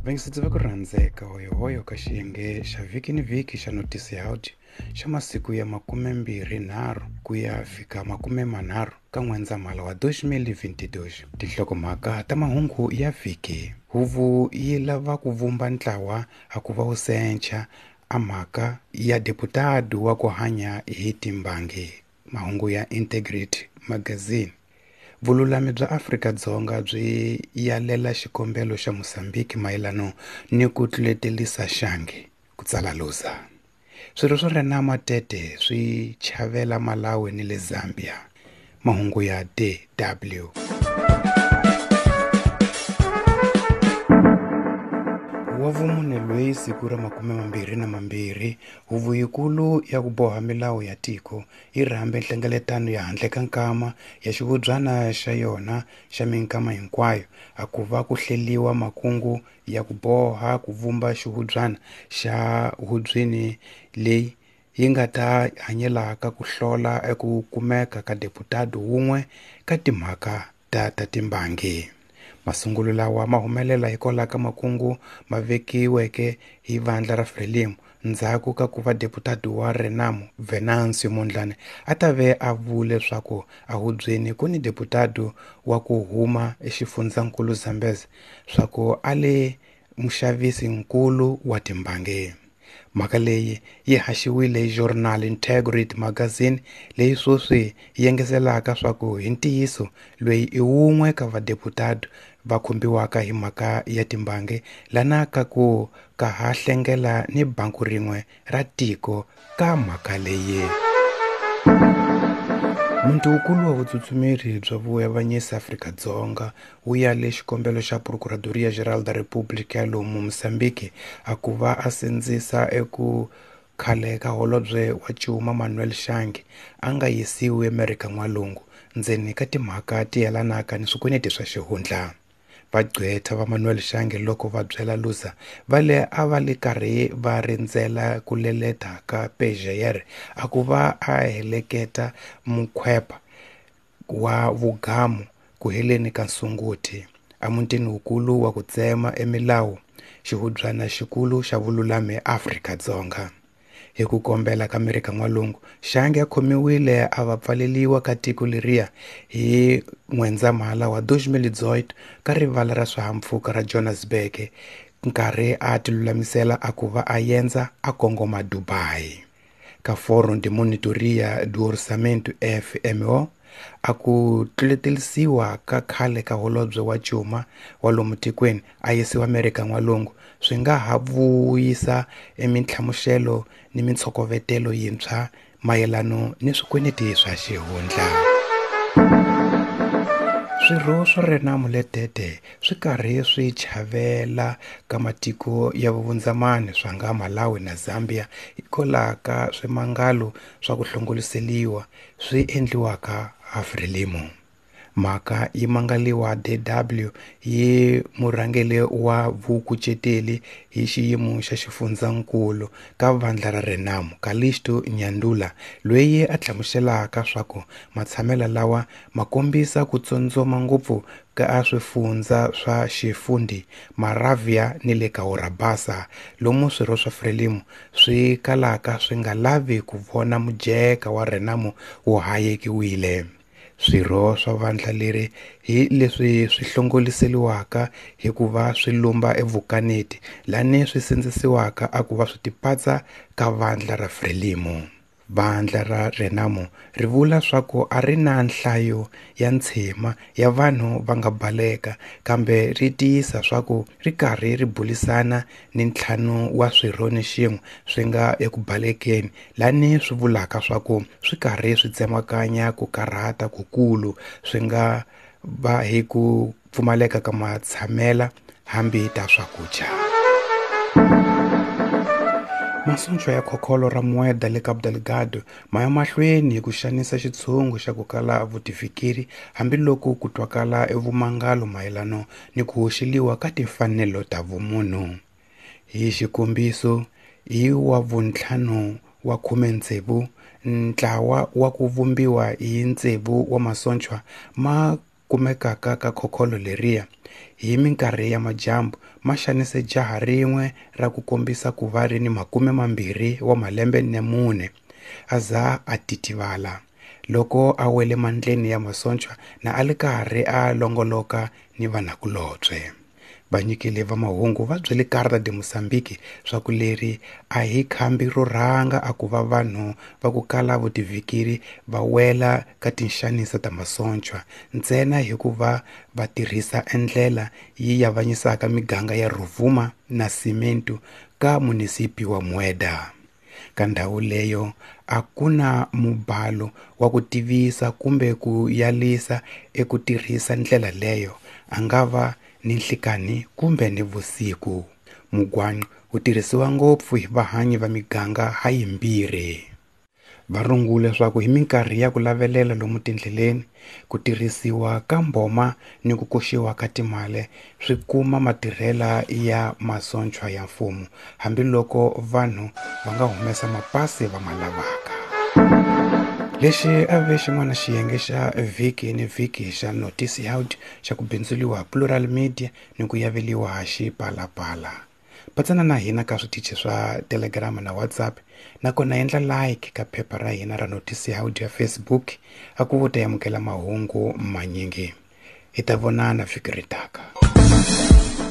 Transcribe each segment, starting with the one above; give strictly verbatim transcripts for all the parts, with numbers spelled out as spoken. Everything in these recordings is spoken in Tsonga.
Vayingiseri va ku rhandzeka hoyohoyo ka xiyenge xa vhiki ni vhiki xa Noticias xa masiku ya makumembirhi nharhu ku ya fika makume manharhu ka N'wendzamhala wa twenty twenty-two. Tinhlokomhaka ta mahungu ya vhiki. Huvo yi lava ku vumba ntlawa a ku va wu sencha a mhaka ya deputado wa ku hanya hi timbangi. Mahungu ya Integrity Magazine. Vululami bya Afrika-Dzonga byi yalela xikombelo xa Mozambique mayelano ni ku tluletelisa Shange, ku tsala Luza. Swirho swa Renamo Tete swi chavela Malawi ni le Zambia. Mahungu ya D W. Wa vumune loyi siku ra makume mambirhi na mambirhi, huvo yikulu ya ku boha milawu ya tiko yi rhambe nhlengeletano ya handle ka nkama ya xivubyana xa yona xa minkama hinkwayo a ku va ku hleliwa makungu ya ku boha ku vumba xivubyana xa hubyeni leyi yi nga ta hanyelaka ku hlola eku kumeka ka deputado wun'we ka timhaka ta ta timbangi. Masungulo lawa ma humelela hikwalaho ka makungu ma vekiweke hi vandla ra Frelimo ndzhaku ka ku va deputado wa Renamo Venancio Mondlane a ta ve a vule leswaku a hubyeni ku ni deputado wa ku huma exifundzankulu Zambezi swa ku a le muxavisi-nkulu wa timbangi. Mhaka leyi yi haxiwile hi Journal Integrity Magazine leyi sweswi yi engetelaka swa ku hi ntiyiso loyi i wun'we ka vadeputado va khumbiwaka hi mhaka ya timbangi lana ka ku ka ha hlengela ni banku rin'we ra tiko ka mhaka leyi. Muntukulu wa vutsutsumeri bya vuavanyisi Afrika-Dzonga wu yale xikombelo xa Procuradoria Geral da República ya lomu Mozambique a ku va a sindzisa eku khale ka holobye wa Cuma Manuel Shange a nga yisiwi Amerika N'walungu ndzeni ka timhaka ti yelanaka ni swikweleti swa xihundla. Vagqwetha va Manuel Shange loko va byela Luza va le a va le karhi va rindzela ku leleta ka P G R a ku va a heleketa mukhwepa wa vugamu ku heleni ka Sunguti emutini wukulu wa ku tsema emilawu xihubyana xikulu xa vululami Afrika-Dzonga. Hi ku kombela ka Amerika N'walungu, Shange a khomiwile a va pfaleliwa ka tiko leriya hi N'wendzamhala wa twenty eighteen ka rivala ra swihahampfhuka ra Johannesburg nkarhi a tilulamisela a ku va a yendza a kongoma Dubai. Ka Fórum de Monitoria do Orçamento F M O a ku tluletelisiwa ka khale ka holobye wa Cuma wa lomu tikweni a yisiwa Amerika N'walungu swi nga ha vuyisa emintlhamuxelo ni mintshokovetelo yintshwa mayelano ni swikweleti swa xihundla. Swirho swa Renamo Letete swi karhi swi chavela ka matiko ya vuvundzamani swa nga Malawi na Zambia hikwalaho ka swimangalo swa ku hlongoliseliwa swi endliwaka ha Frelimo. Mhaka yi mangaliwa D W yi murhangeri wa vukuceteli hi xiyimo xa xifundzankulu ka vandla ra Renamo Calixto Nyandula loyi a hlamuselaka swa ku matshamelo lawa ma kombisa ku tsotsoma ngopfu ka swifundza swa Xifundi, Maravia ni le ka Orabasa lomu swirho swa Frelimo swi kalaka swi nga lavi ku vona mujeka wa Renamo wu hayekiwile. Swirho swa vandla leri hi leswi swi hlongoliseliwaka hikuva swi lumba evukaneti lani swi sindzisiwaka a ku va swi tipatsa ka vandla ra Frelimo. Vandla ra Renamo ri vula swa ku a ri na nhlayo ya ntshima ya vanhu va nga baleka kambe ri tiyisa swa ku ri karhi ri bulisana ni ntlhanu wa swirho ni xin'we swi nga eku balekeni lani swi vulaka swa ku swi karhi swi tsemakanya ku karhata kukulu swi nga va hi ku pfumaleka ka matshamela hambi ta swakudya. Masuntsho ya khokholo ra Mueda le Cabo Delgado ma ya mahlweni hi ku xanisa xitshungu xa ku kala vutifikiri hambiloko ku twakala evumangalo mayelano ni ku hoxeliwa ka timfanelo ta vumunhu. Hi xikombiso, hi wa vuntlhanu wa khume tsevu ntlawa wa ku vumbiwa hi tsevu wa masochwa ma kumekaka ka khokholo leriya hi minkarhi ya majambu ma xanise jaha rin'we ra ku kombisa ku va ri ni makume mambirhi wa malembe na mune a za a titivala loko a wele mandleni ya masonchwa na a li karhi a longoloka ni vanakulobye. Vanyikeli va mahungu va byele Carta de Moçambique swa ku leri a hi khambi ro rhanga a ku va vanhu va ku kala vutivhikiri va wela ka tinxaniso ta masonchwa ntsena hikuva va tirhisa endlela yi yavanyisaka miganga ya Rovuma na Cimento ka munisipi wa Mueda. Ka ndhawu leyo a ku na mubalo wa ku tivisa kumbe ku yalisa eku tirhisa ndlela leyo a nga va ni nhlikani kumbe ni vusiku. Mugwanqo wu tirhisiwa ngopfu hi vahanyi va miganga ha yimbirhi. Va rungule leswaku hi minkarhi ya ku lavelela lomu tindleleni ku tirhisiwa ka mboma ni ku koxiwa ka timali swi kuma matirhela ya masonchwa ya mfumo hambiloko vanhu va nga humesa mapasi va ma lavaka. Lexi a ve xin'wana xiyenge xa vhiki ni vhiki xa Noticias xa ku bindzuliwa Plural Media ni ku yaveliwa Xipalapala. Patsana na hina ka switichi swa Telegram na WhatsApp nakona endla like ka phepha ra hina ra Noticias ya Facebook a ku vuta amukela mahungu manyingi. Hi ta vonana vhiki ri taka.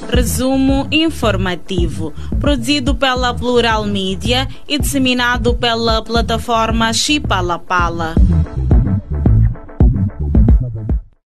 Resumo informativo, produzido pela Plural Media e disseminado pela plataforma Xipalapala.